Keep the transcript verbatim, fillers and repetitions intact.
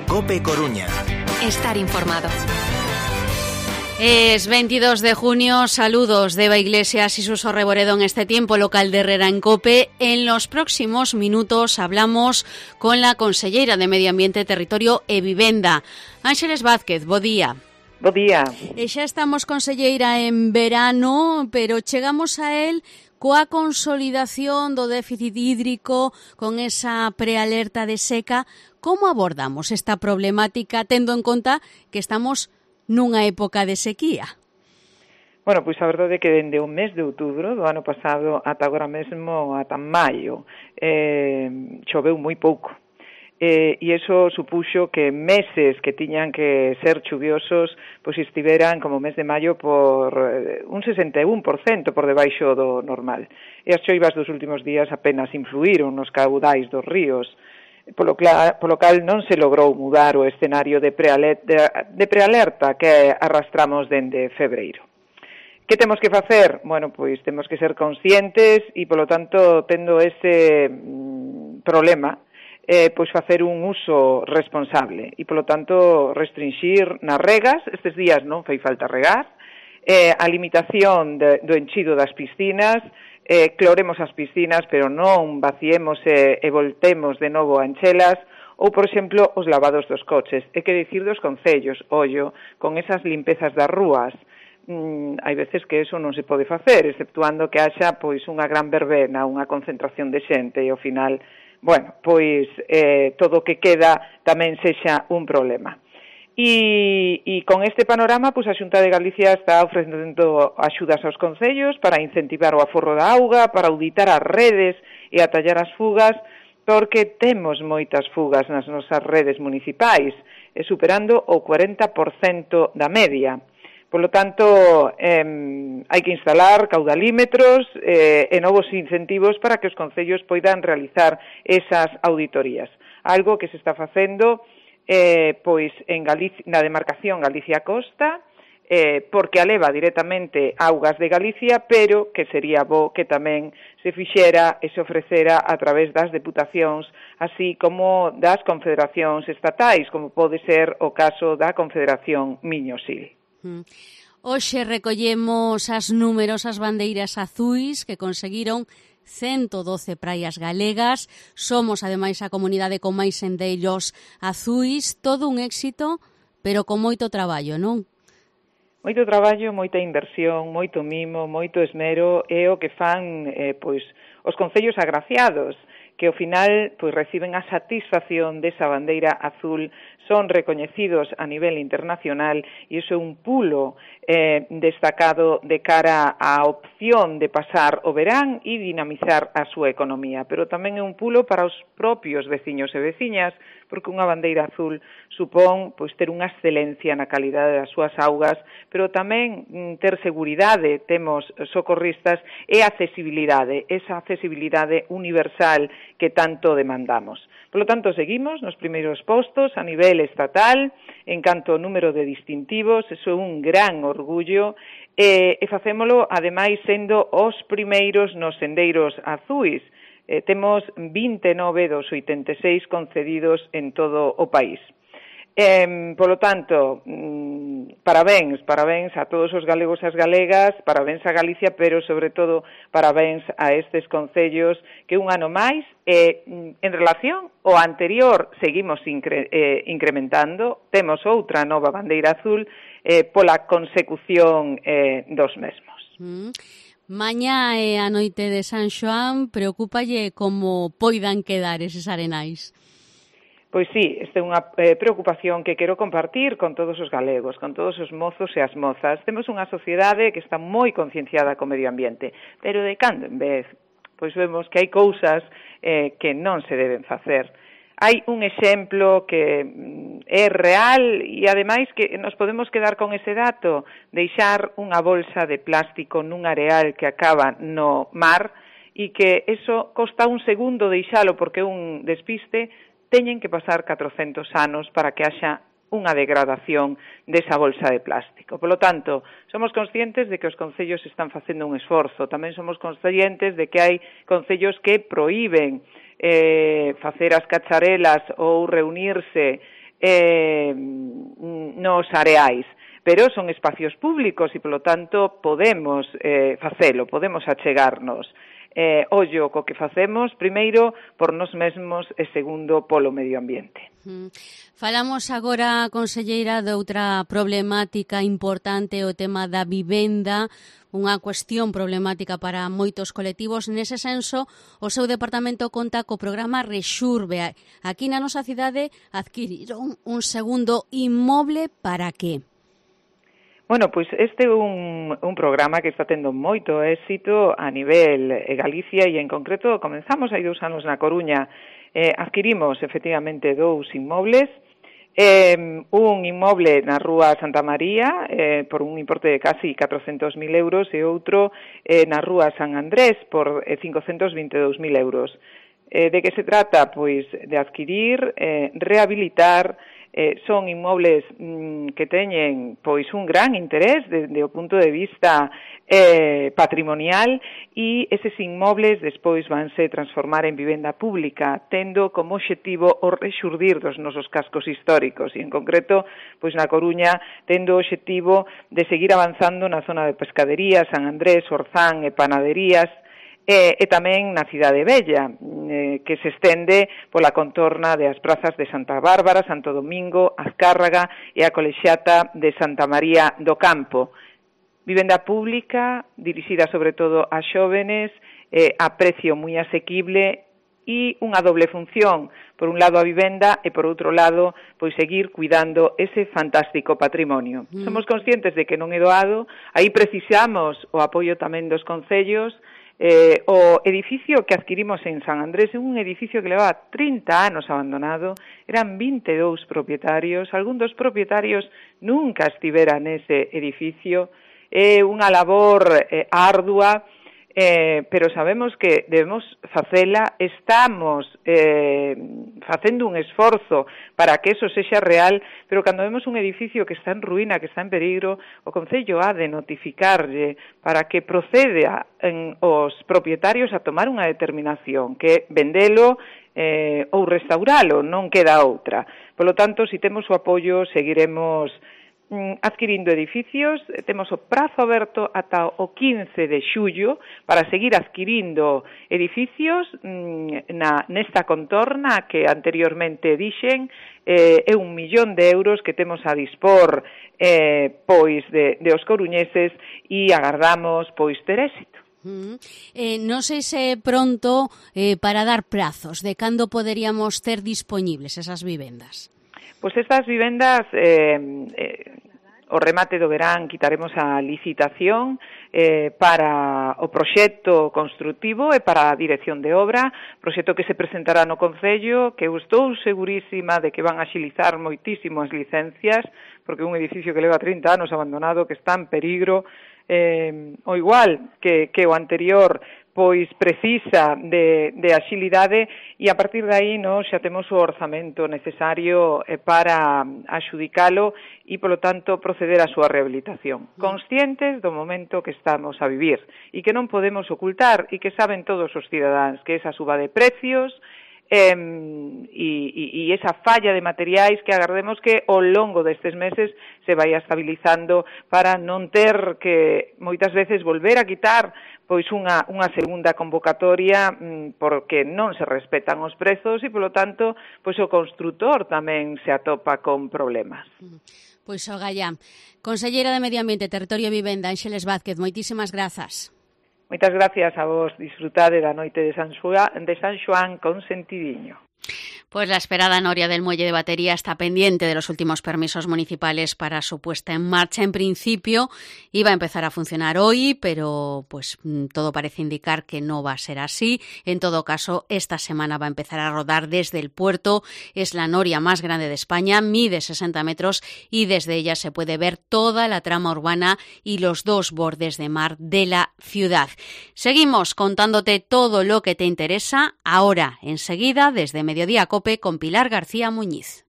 COPE Coruña. Estar informado. Es veintidós de junio, saludos de Eva Iglesias y Suso Reboredo en este tiempo local de Herrera en COPE. En los próximos minutos hablamos con la conselleira de Medio Ambiente, Territorio e Vivenda, Ángeles Vázquez. Bo día. Bo día. E xa estamos, conselleira, en verano, pero chegamos a él coa consolidación do déficit hídrico, con esa prealerta de seca. Como abordamos esta problemática, tendo en conta que estamos nunha época de sequía? Bueno, pois a verdade é que dende o mes de outubro do ano pasado ata agora mesmo, ata maio, eh, choveu moi pouco. Eh, e iso supuxo que meses que tiñan que ser chuviosos pois estiveran como o mes de maio por eh, un sesenta e un por cento por debaixo do normal. E as choivas dos últimos días apenas influíron nos caudais dos ríos, polo, cla, polo cal non se logrou mudar o escenario de prealerta, de prealerta que arrastramos dende febreiro. Que temos que facer? Bueno, pois temos que ser conscientes e, polo tanto, tendo ese mm, problema, Eh, pois facer un uso responsable e, polo tanto, restringir nas regas. Estes días non fai falta regar, eh, a limitación de, do enchido das piscinas, eh, cloremos as piscinas, pero non vaciemos e, e voltemos de novo a enchelas, ou, por exemplo, os lavados dos coches. É que dicir dos concellos, ollo, con esas limpezas das rúas. Mm, hai veces que eso non se pode facer, exceptuando que haxa pois unha gran verbena, unha concentración de xente, e ao final, bueno, pois eh, todo o que queda tamén sexa un problema. E, e con este panorama, pois a Xunta de Galicia está ofrecendo axudas aos concellos para incentivar o aforro da auga, para auditar as redes e atallar as fugas, porque temos moitas fugas nas nosas redes municipais, e superando o cuarenta por cento da media. Por lo tanto, eh, hai que instalar caudalímetros eh, e novos incentivos para que os concellos poidan realizar esas auditorías. Algo que se está facendo eh, pois en Galicia, na demarcación Galicia-Costa, eh, porque aleva directamente augas de Galicia, pero que sería bo que tamén se fixera e se ofrecera a través das deputacións, así como das confederacións estatais, como pode ser o caso da Confederación Miño-Sil. Hoxe recollemos as numerosas bandeiras azuis que conseguiron ciento doce praias galegas. Somos, ademais, a comunidade con máis senderos azuis. Todo un éxito, pero con moito traballo, non? Moito traballo, moita inversión, moito mimo, moito esmero, é o que fan eh, pois os concellos agraciados, que ao final pois reciben a satisfacción desa bandeira azul, son recoñecidos a nivel internacional e iso é un pulo eh, destacado de cara á opción de pasar o verán e dinamizar a súa economía, pero tamén é un pulo para os propios veciños e veciñas, porque unha bandeira azul supón pois ter unha excelencia na calidade das súas augas, pero tamén mm, ter seguridade, temos socorristas, e accesibilidade, esa accesibilidade universal que tanto demandamos. Por lo tanto, seguimos nos primeiros postos a nivel estatal, en canto ao número de distintivos, eso é un gran orgullo, e, e facémolo, ademais, sendo os primeiros nos sendeiros azuis. Eh, temos vinte e nove dos oitenta e seis concedidos en todo o país. Eh, polo tanto, mm, parabéns, parabéns a todos os galegos e as galegas, parabéns a Galicia, pero sobre todo parabéns a estes concellos que un ano máis, eh, en relación ao anterior, seguimos incre, eh, incrementando, temos outra nova bandeira azul eh, pola consecución eh, dos mesmos. Mm. Mañá é a noite de San Xoán, preocúpalle como poidan quedar eses arenais? Pois sí, esta é unha eh, preocupación que quero compartir con todos os galegos, con todos os mozos e as mozas. Temos unha sociedade que está moi concienciada co medio ambiente, pero de cando en vez, pois vemos que hai cousas eh, que non se deben facer. Hai un exemplo que é real e, ademais, que nos podemos quedar con ese dato, deixar unha bolsa de plástico nun areal que acaba no mar e que eso costa un segundo deixalo porque é un despiste, teñen que pasar catrocentos anos para que haxa unha degradación desa bolsa de plástico. Por lo tanto, somos conscientes de que os concellos están facendo un esforzo. Tamén somos conscientes de que hai concellos que proíben eh, facer as cacharelas ou reunirse eh, nos areais, pero son espacios públicos e, polo tanto, podemos eh, facelo, podemos achegarnos. Eh, ollo co que facemos, primeiro, por nos mesmos e segundo, polo medio ambiente. Mm. Falamos agora, conselleira, de outra problemática importante, o tema da vivenda, unha cuestión problemática para moitos colectivos. Nese senso, o seu departamento conta co programa Rexurbe. Aquí na nosa cidade adquiriron un segundo inmoble para que? Bueno, pois este é un, un programa que está tendo moito éxito a nivel eh, Galicia e en concreto comenzamos hai dous anos na Coruña. Eh, adquirimos efectivamente dous inmobles, eh, un inmoble na Rúa Santa María eh, por un importe de casi catrocentos mil euros e outro eh, na Rúa San Andrés por eh, cincocentos vinte e dous mil euros. Eh, de que se trata? Pois de adquirir, eh, rehabilitar. Eh, son inmobles mm, que teñen pois un gran interés desde o punto de vista eh, patrimonial e eses inmobles despois vanse transformar en vivenda pública, tendo como obxectivo o rexurdir dos nosos cascos históricos e en concreto pois na Coruña tendo o obxectivo de seguir avanzando na zona de Pescadería, San Andrés, Orzán e Panaderías, E, e tamén na Cidade Vella, eh, que se estende pola contorna das prazas de Santa Bárbara, Santo Domingo, Azcárraga e a Colexiata de Santa María do Campo. Vivenda pública, dirixida sobre todo a xóvenes, eh, a precio moi asequible e unha doble función, por un lado a vivenda e por outro lado pois seguir cuidando ese fantástico patrimonio. Mm. Somos conscientes de que non é doado, aí precisamos o apoio tamén dos concellos. Eh, o edificio que adquirimos en San Andrés é un edificio que levaba trinta anos abandonado, eran vinte e dous propietarios, algún dos propietarios nunca estivera nese edificio, é unha labor eh, ardua, eh, pero sabemos que debemos facela, estamos eh, facendo un esforzo para que eso sexa real, pero cando vemos un edificio que está en ruína, que está en peligro, o Concello ha de notificarlle para que procede a, en, os propietarios a tomar unha determinación, que vendelo eh, ou restauralo, non queda outra. Por lo tanto, si temos o apoio, seguiremos adquirindo edificios, temos o prazo aberto ata o quince de xullo para seguir adquirindo edificios na, nesta contorna que anteriormente dixen, eh, é un millón de euros que temos a dispor eh, pois de, de os coruñeses e agardamos pois ter éxito. Mm. Eh, non sei se pronto eh, para dar prazos de cando poderíamos ter dispoñibles esas vivendas. Pois estas vivendas, eh, eh, o remate do verán quitaremos a licitación eh, para o proxecto construtivo e para a dirección de obra, proxecto que se presentará no Concello, que eu estou segurísima de que van a axilizar moitísimo as licencias, porque un edificio que leva trinta anos abandonado, que está en peligro, eh, o igual que, que o anterior, pois precisa de, de axilidade e a partir de aí nós xa temos o orzamento necesario para axudicalo e, polo tanto, proceder á súa rehabilitación. Conscientes do momento que estamos a vivir e que non podemos ocultar e que saben todos os cidadáns que esa suba de precios eh, e, e, e esa falla de materiais que agardemos que ao longo destes meses se vai estabilizando para non ter que moitas veces volver a quitar pois unha, unha segunda convocatoria mm, porque non se respetan os prezos e, polo tanto, pois o construtor tamén se atopa con problemas. Pois o gallá. Conselleira de Medio Ambiente, Territorio e Vivenda, Ánxeles Vázquez, moitísimas grazas. Moitas gracias a vos, disfrutade da noite de San Xoán, de San Xoán con sentidiño. Pues la esperada noria del muelle de Batería está pendiente de los últimos permisos municipales para su puesta en marcha. En principio iba a empezar a funcionar hoy, pero pues todo parece indicar que no va a ser así. En todo caso, esta semana va a empezar a rodar desde el puerto. Es la noria más grande de España, mide sesenta metros y desde ella se puede ver toda la trama urbana y los dos bordes de mar de la ciudad. Seguimos contándote todo lo que te interesa ahora, enseguida, desde Mediodía Cope con Pilar García Muñiz.